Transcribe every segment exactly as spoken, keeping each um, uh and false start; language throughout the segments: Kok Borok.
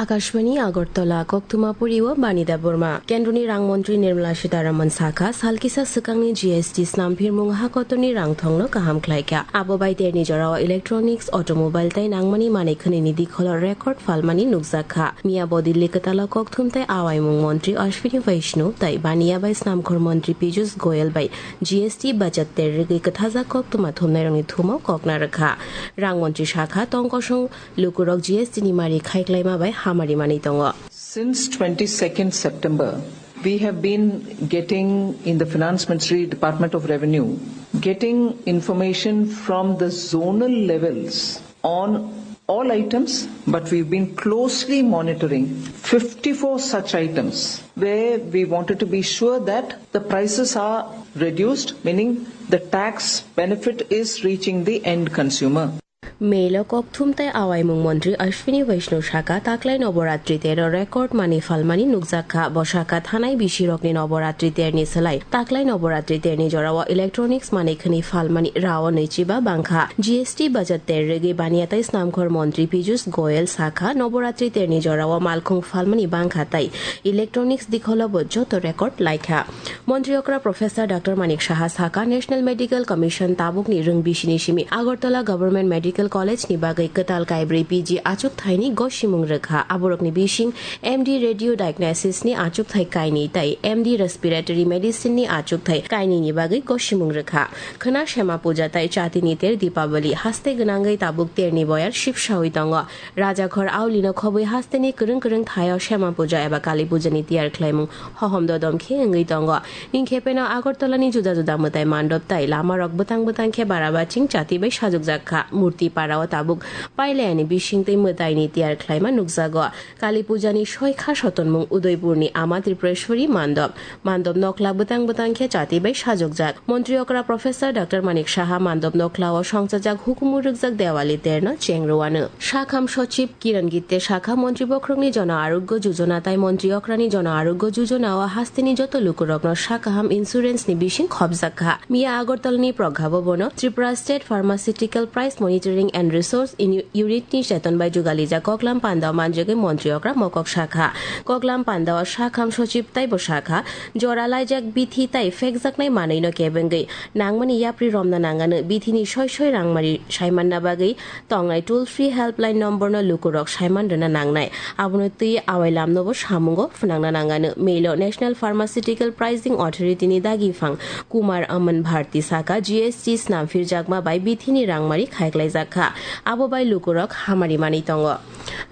Kashmani Agartala koktuma puri o Bani Debbarma. Kendroni rang montri Nirmala Sitharaman sakha, salkisa swkangni G S T snamphirmung ha kotorni rang thongno kaham khlaikha. Abo bai terni jorao electronics, automobile tei nangmani manwi khwnwini dikholo record phalmani nukjakha. Miya bo Delhi kwtalo kokthum tei awaimung montri Ashwini Vaishnaw tei Baniya bai snamkhor montri Piyush Goyal bai G S T bachak ter rwgwi kwthajak koktuma thumnairokni thumo kokna rwkha. Rang montri sakha, tongkosong lukurok G S T ni mari khaiklaima bai hamari manwi tongo. Since twenty-second September, we have been getting in the Finance Ministry, Department of Revenue, getting information from the zonal levels on all items, but we've been closely monitoring fifty-four such items where we wanted to be sure that the prices are reduced, meaning the tax benefit is reaching the end consumer. Melo kokthum tei awaimung montri Ashwini Vaishnaw sakha, taklai noboratri tero record mani phalmani nukjakha. Bo sakha, thanai bisirokni noboratri terni slai taklai noboratri terni jorao electronics mani khwnwi phalmani rao nwichiba bangkha. G S T bachak ter rwgwi Baniya tei snamkhor montri Piyush Goyal sakha, noboratri terni jorao malkhung phalmani bangkha tei electronics dikholo bo joto record laikha. Montri okra Professor Doctor Manik Saha sakha, National Medical Commission tabukni rwng bisini simi Agartala Government Medical College ni bagwi kwtal kaibrwi P G achuk thaini gosimung rwkha. Aborokni bising M D Radio Diagnosis ni achuk thai kaini tei M D Respiratory Medicine ni achuk thai kaini ni bagwi gosimung rwkha. Khwna Sema Puja tei Chatini ter Deepavali haste gwnangwi tabuk terni boyar sipsawi tongo. Rajakhor aulino khobwi hasteni kwrwng kwrwng thaio Sema Puja eba Kali Pujani tiyar khlaimung hohom dodom khe wngwi tongo. Ningkhepeno Agartalani juda juda mwtai mandop tai lamarok bwtang bwtang khe barabaching chati bai sajokjak kha. Murti parao tabuk pailayani bisingtwi mwtaini tiyar khlaima nukjago. Kali Pujani soi kha sotonmung Udaipurni Ama Tripureshwari mandop. Mandop nokla bwtang bwtang khe chati bai sajokjak. Montri okra Professor Doctor Manik Saha mandop noklao songchajak hukumu rwkjak Dewali terno cheng rwano. Sakham Sochib Kiran Gitte sakha, Montri bokhorokni Jono Arogyo Jojona tai Montri okrani Jono Arogyo Jojona o hasteni joto lukurokno sakaham insurance ni bising khopjak kha. Miya Agartalani Pragha Bhabono Tripura State Pharmaceutical Price Monitoring and Resource Uni-, Unit ni cheton bai jugalijak koklam panda manjagwi Montri okra mokok sakha. Koklam panda o sakham sochib taibo sakha, jora laijak bithi tai phekjaknai manwi no kebengwi nangmani yapri romna nangano, bithini soi soi rangmari saimanna bagwi tongnai toll free helpline number no lukurok saiman rwna nangnai. Abono twi awai lamno bo samungo phwnangna nangano. Melo National Pharmaceutical Pricing Authority ni dagi phang Kumar Aman Bharti saka, G S T snam phirjakma bai bithini rangmari khaiklaijak kha. Abo bai lukurok hamari manwi tongo.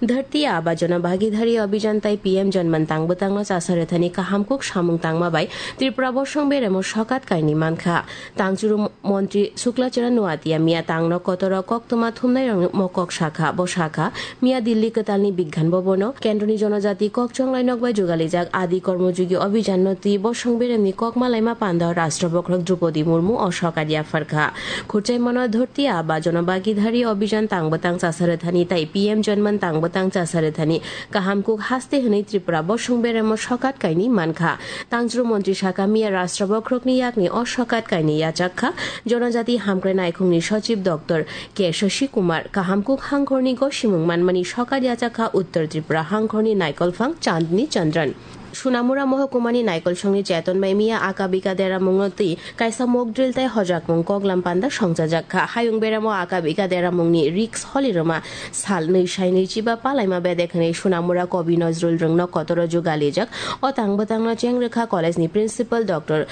Dharti Aaba Jana Bhagidhari Abhijan tai P M Janman tang bwtangno chasa rwthani kaham kuk samung tangma bai Tripura bosong beremo sokat kainwi mankha. Tangchuru montri Shukla Charan Noatia miya tangno kotoro koktwma thumnairokno mokok sakha. Bo sakha, miya Delhi kwtalni Bigyan Bhabono Kendroni Jonojati Kok Chonglai Nok bai jugalijak Adi Kormojogi Abhijanno twi bosong beremni kok malaima panda Rashtra Bokhorok Droupadi Murmu o sokat yapharkha. Khurchaimano Dharti Aaba Jana Bhagidhari Abhijan tang bwtang chasa rwthani tai P M Janman tang bwtang chasa rwthani kaham kuk haste hwnwi Tripura bosong beremo sokat kainwi mankha. Tangchuru montri saka miya Rashtra Bokhorokni yakni o sokat kainwi yachak kha. Jonojati hamkrai naikhungni sochib Doctor K Shashi Kumar, kaham kuk hangkhorni gosimung manmani sokat yachak kha Uttar Tripura hangkhorni naikolphang Chandni Chandran. Sunamura Mohokumani Naikolsongni Cheton bai miya Aka Bika Deramungno twi kaisa mock drill tai hojakmung koklam panda songchajak kha. Hayung beramo Aka Bika Deramungni risk holirwma sal nwi sai nwichiba palaima bedek hwnwi Sunamura Kobi Nozrul Rwngno kotoro jugalijak. O tang bwtangno cheng rwkha college ni principal Doctor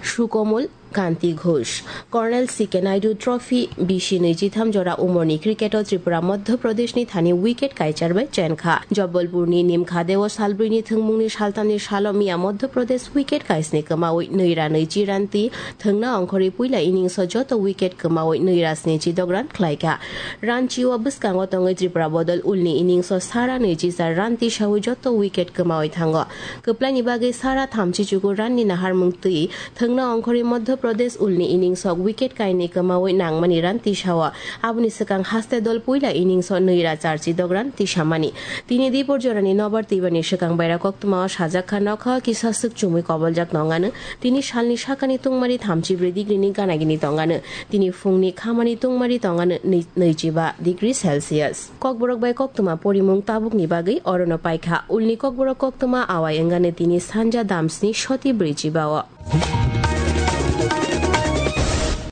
Sukomul Kanti Ghosh. Colonel C K Naidu Trophy bisi nwichitham jora umorni cricket-o Tripura Madhya Pradeshni thani wicket kaichar bai chenkha. Jabalpurni Nimkhadeo salbrwini thwngmungni saltamni salo miya Madhya Pradesh wicket kaisni kwmawi nwi ra nwichi ranti thwngna ongkhorwi puila innings-o joto wicket kwmawi nwi ra snichi dok run khlaikha. Ranchi-o bwskango tongwi Tripura bodol ulni innings-o sara nwichi char run tisawi joto wicket kwmawi thango. Kwplaini bagwi sara thamchi chukur run-ni naharmung twi thwngna ongkhorwi Madhya Pradesh ulni innings-o wicket kainwi kwmawi nangmani run tisao. Aboni swkang haste dol puila innings-o nwi ra charchi dok run tisamani. Tini dipor jorani nobar twibani swkang baira koktwmao Sajak kha nokha kisa swk chumui koboljak tongano, tini salni sakani tungmari thamchi brwi degree ni gana gini tongano, tini phungni khamani tungmari tongano nwi-, nwichi ba degree Celsius. Kokborok bai koktwma porimung tabukni bagwi orono paikha. Ulni Kokborok koktwma awai wngano tini sanja damsni soti brwichi bao.